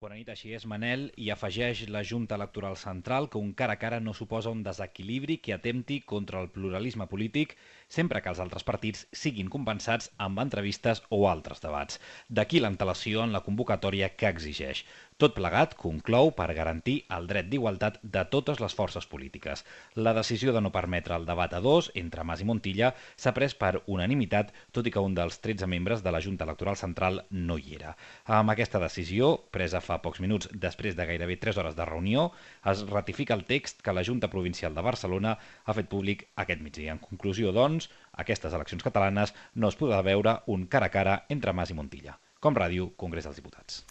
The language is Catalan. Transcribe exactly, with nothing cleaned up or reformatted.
Bona nit, així és, Manel, i afegeix la Junta Electoral Central que un cara a cara no suposa un desequilibri que atempti contra el pluralisme polític sempre que els altres partits siguin compensats amb entrevistes o altres debats. D'aquí l'antelació en la convocatòria que exigeix. Tot plegat conclou per garantir el dret d'igualtat de totes les forces polítiques. La decisió de no permetre el debat a dos entre Mas i Montilla s'ha pres per unanimitat, tot i que un dels tretze membres de la Junta Electoral Central no hi era. Amb aquesta decisió, presa fa pocs minuts després de gairebé tres hores de reunió, es ratifica el text que la Junta Provincial de Barcelona ha fet públic aquest migdia. En conclusió, doncs, aquestes eleccions catalanes no es podrà veure un cara a cara entre Mas i Montilla. Com ràdio, Congrés dels Diputats.